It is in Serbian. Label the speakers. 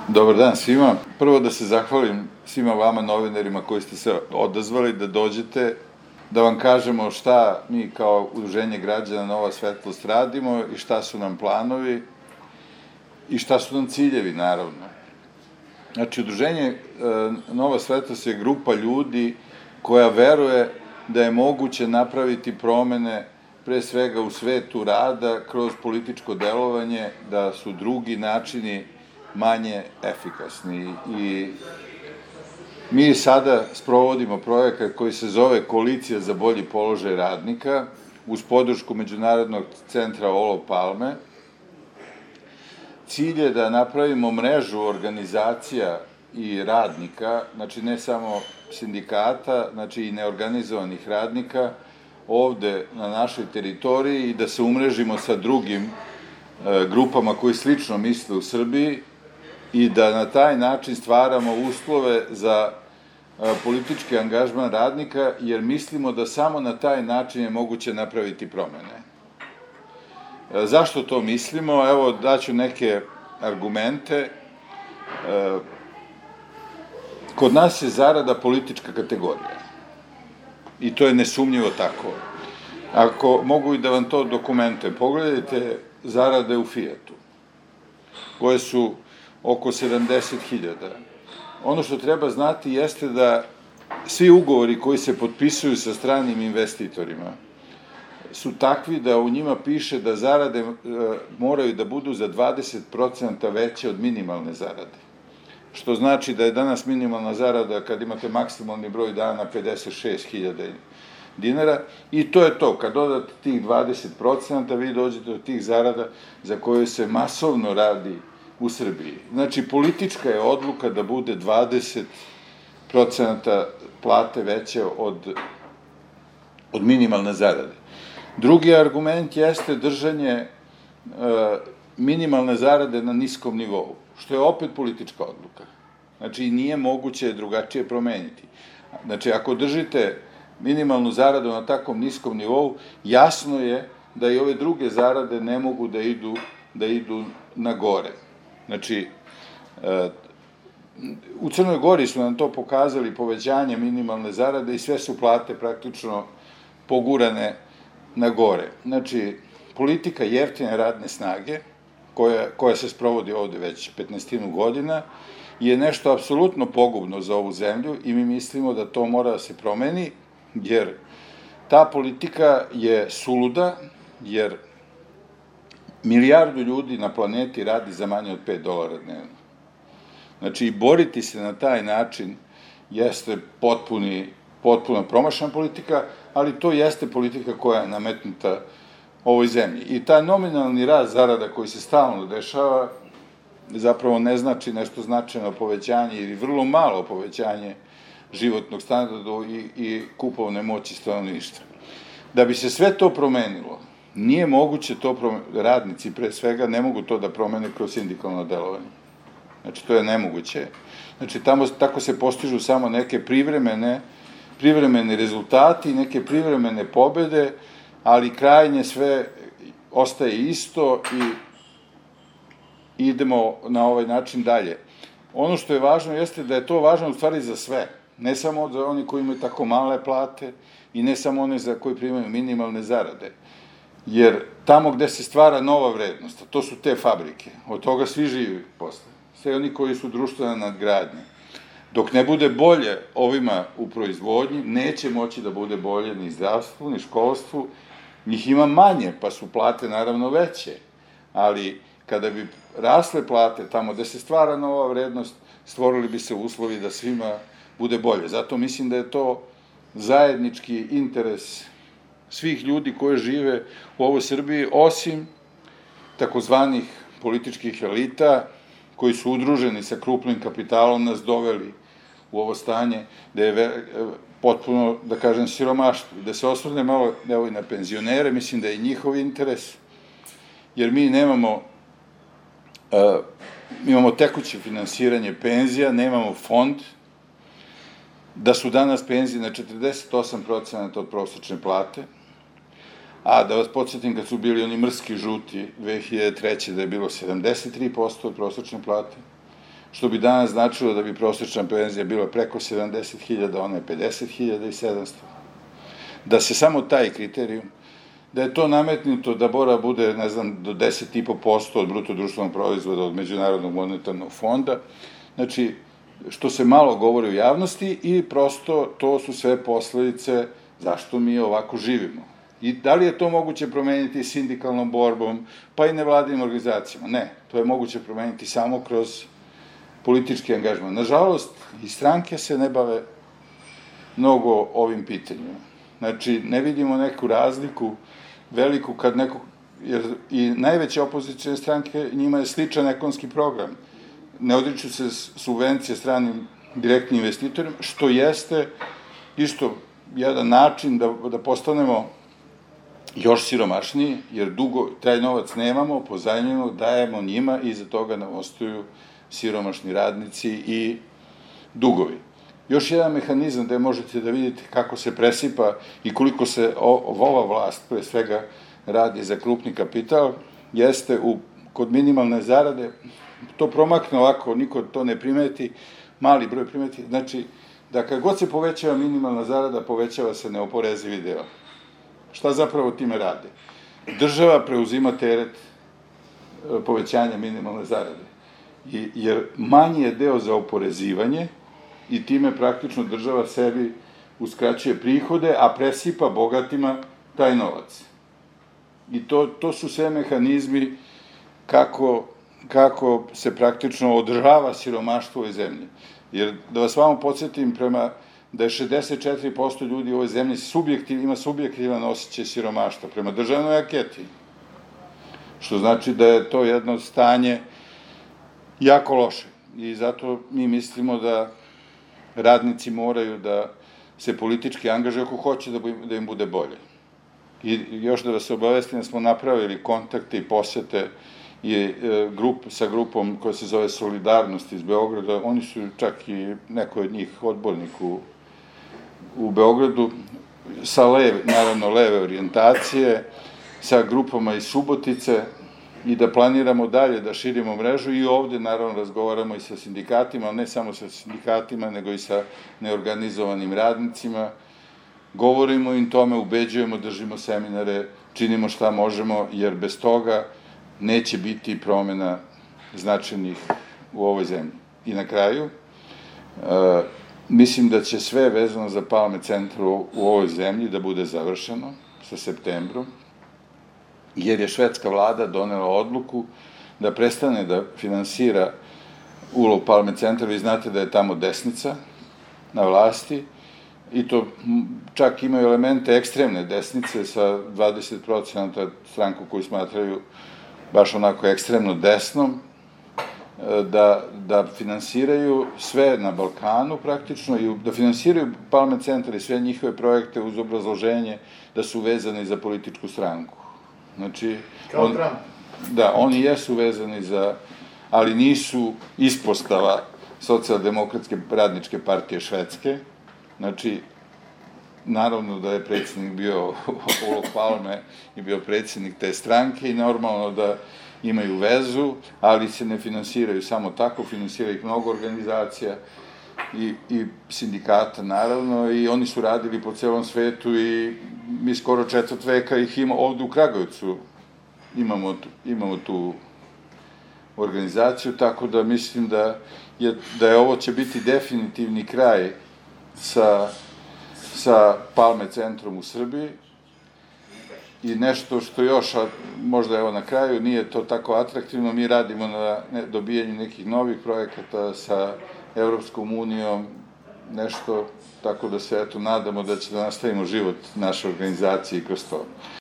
Speaker 1: Dobar dan svima. Prvo da se zahvalim svima vama novinarima koji ste se odazvali da dođete, da vam kažemo šta mi kao Udruženje građana Nova Svetlost radimo i šta su nam planovi i šta su nam ciljevi, naravno. Znači, Udruženje Nova Svetlost je grupa ljudi koja veruje da je moguće napraviti promene pre svega u svetu rada kroz političko delovanje, da su drugi načini manje efikasni. I mi sada sprovodimo projekat koji se zove Koalicija za bolji položaj radnika uz podršku Međunarodnog centra Olof Palme. Cilj je da napravimo mrežu organizacija i radnika, znači ne samo sindikata, znači i neorganizovanih radnika, ovde na našoj teritoriji i da se umrežimo sa drugim grupama koji slično misle u Srbiji i da na taj način stvaramo uslove za politički angažman radnika, jer mislimo da samo na taj način je moguće napraviti promene. Zašto to mislimo? Evo, daću neke argumente. Kod nas je zarada politička kategorija. I to je nesumnjivo tako. Ako mogu i da vam to dokumentujem, pogledajte zarade u Fijatu, koje su oko 70.000. Ono što treba znati jeste da svi ugovori koji se potpisuju sa stranim investitorima su takvi da u njima piše da zarade moraju da budu za 20% veće od minimalne zarade. Što znači da je danas minimalna zarada, kad imate maksimalni broj dana, 56.000 dinara i to je to. Kad dodate tih 20%, vi dođete do tih zarada za koje se masovno radi u Srbiji. Znači, politička je odluka da bude 20% plate veće od minimalne zarade. Drugi argument jeste držanje minimalne zarade na niskom nivou, što je opet politička odluka. Znači, nije moguće drugačije promeniti. Znači, ako držite minimalnu zaradu na takvom niskom nivou, jasno je da i ove druge zarade ne mogu da idu na gore. Znači, u Crnoj Gori su nam to pokazali povećanje minimalne zarade i sve su plate praktično pogurane na gore. Znači, politika jeftine radne snage, koja se sprovodi ovde već 15 godina, je nešto apsolutno pogubno za ovu zemlju i mi mislimo da to mora da se promeni, jer ta politika je suluda, jer milijardu ljudi na planeti radi za manje od $5 dnevno. Znači, boriti se na taj način jeste potpuno promašena politika, ali to jeste politika koja je nametnuta ovoj zemlji. I taj nominalni rast zarada koji se stalno dešava zapravo ne znači nešto značajno povećanje ili vrlo malo povećanje životnog standarda i kupovne moći stanovništva. Da bi se sve to promenilo, nije moguće to promeniti, radnici pre svega ne mogu to da promene kroz sindikalno delovanje. Znači, to je nemoguće. Znači, tako se postižu samo neke privremeni rezultati, neke privremene pobede, ali krajnje sve ostaje isto i idemo na ovaj način dalje. Ono što je važno jeste da je to važno u stvari za sve, ne samo za oni koji imaju tako male plate i ne samo oni za koji primaju minimalne zarade. Jer tamo gde se stvara nova vrednost, to su te fabrike, od toga svi živi posle, sve oni koji su društvena nadgradnja. Dok ne bude bolje ovima u proizvodnji, neće moći da bude bolje ni zdravstvu, ni školstvu, njih ima manje, pa su plate naravno veće, ali kada bi rasle plate tamo gde se stvara nova vrednost, stvorili bi se uslovi da svima bude bolje. Zato mislim da je to zajednički interes svih ljudi koji žive u ovoj Srbiji, osim takozvanih političkih elita, koji su udruženi sa krupnim kapitalom, nas doveli u ovo stanje da je potpuno, da kažem, siromaštvo. Da se osvrne malo i na penzionere, mislim da je njihov interes, jer mi imamo tekuće finansiranje penzija, nemamo fond, da su danas penzije na 48% od prosečne plate, a da vas podsjetim kad su bili oni mrski žuti 2003. da je bilo 73% od prosečne plate, što bi danas značilo da bi prosječna penzija bila preko 70.000, ona je 50.700. Da se samo taj kriterijum, da je to nametnuto da mora bude, ne znam, do 10,5% od bruto društvenog proizvoda od Međunarodnog monetarnog fonda, znači, što se malo govori u javnosti i prosto to su sve posledice zašto mi ovako živimo. I da li je to moguće promeniti sindikalnom borbom, pa i nevladinim organizacijama? Ne, to je moguće promeniti samo kroz politički angažman. Nažalost, i stranke se ne bave mnogo ovim pitanjima. Znači, ne vidimo neku razliku veliku kad neko, jer i najveće opozicijne stranke, njima je sličan ekonomski program. Ne odriču se subvencije stranim direktnim investitorima, što jeste isto jedan način da postanemo još siromašniji, jer dugo taj novac nemamo, pozajmljeno, dajemo njima i iza toga nam ostaju siromašni radnici i dugovi. Još jedan mehanizam gde možete da vidite kako se presipa i koliko se ova vlast, pre svega, radi za krupni kapital, jeste kod minimalne zarade, to promakne ovako, niko to ne primeti, mali broj primeti, znači da kad god se povećava minimalna zarada, povećava se neoporezivi deo. Šta zapravo time rade? Država preuzima teret povećanja minimalne zarade, jer manji je deo za oporezivanje i time praktično država sebi uskraćuje prihode, a presipa bogatima taj novac. I to su sve mehanizmi kako se praktično održava siromaštvo u ovoj zemlji. Jer, da vas vamo podsjetim, da je 64% ljudi u ovoj zemlji ima subjektivan osjećaj siromaštva prema državnoj anketi. Što znači da je to jedno stanje jako loše. I zato mi mislimo da radnici moraju da se politički angažuju ako hoće da im bude bolje. I još da vas obavestim da smo napravili kontakte i posete sa grupom koja se zove Solidarnost iz Beograda. Oni su čak i neko od njih odbornik u Beogradu, sa naravno leve orijentacije, sa grupama iz Subotice i da planiramo dalje da širimo mrežu i ovde naravno razgovaramo i sa sindikatima, ne samo sa sindikatima, nego i sa neorganizovanim radnicima. Govorimo im tome, ubeđujemo, držimo seminare, činimo šta možemo, jer bez toga neće biti promena značajnih u ovoj zemlji. I na kraju, mislim da će sve vezano za Palme centar u ovoj zemlji da bude završeno sa septembrom, jer je švedska vlada donela odluku da prestane da finansira ulov Palme centra. Vi znate da je tamo desnica na vlasti i to čak imaju elemente ekstremne desnice sa 20% stranku koju smatraju baš onako ekstremno desnom, da finansiraju sve na Balkanu praktično i da finansiraju Palme centar i sve njihove projekte uz obrazloženje da su vezani za političku stranku. Znači,
Speaker 2: kao Trump.
Speaker 1: Da, oni jesu vezani ali nisu ispostava Socijaldemokratske radničke partije Švedske. Znači, naravno da je predsjednik bio Olof Palme i bio predsjednik te stranke i normalno da imaju vezu, ali se ne finansiraju samo tako, finansira ih mnogo organizacija i sindikata naravno i oni su radili po celom svetu i mi skoro 4 veka ih imamo ovde u Kragujevcu, imamo tu organizaciju, tako da mislim da ovo će biti definitivni kraj sa Palme centrom u Srbiji i nešto što još, možda evo na kraju, nije to tako atraktivno, mi radimo na dobijanju nekih novih projekata sa Evropskom unijom, nešto, tako da se eto nadamo da će da nastavimo život naše organizacije kroz to.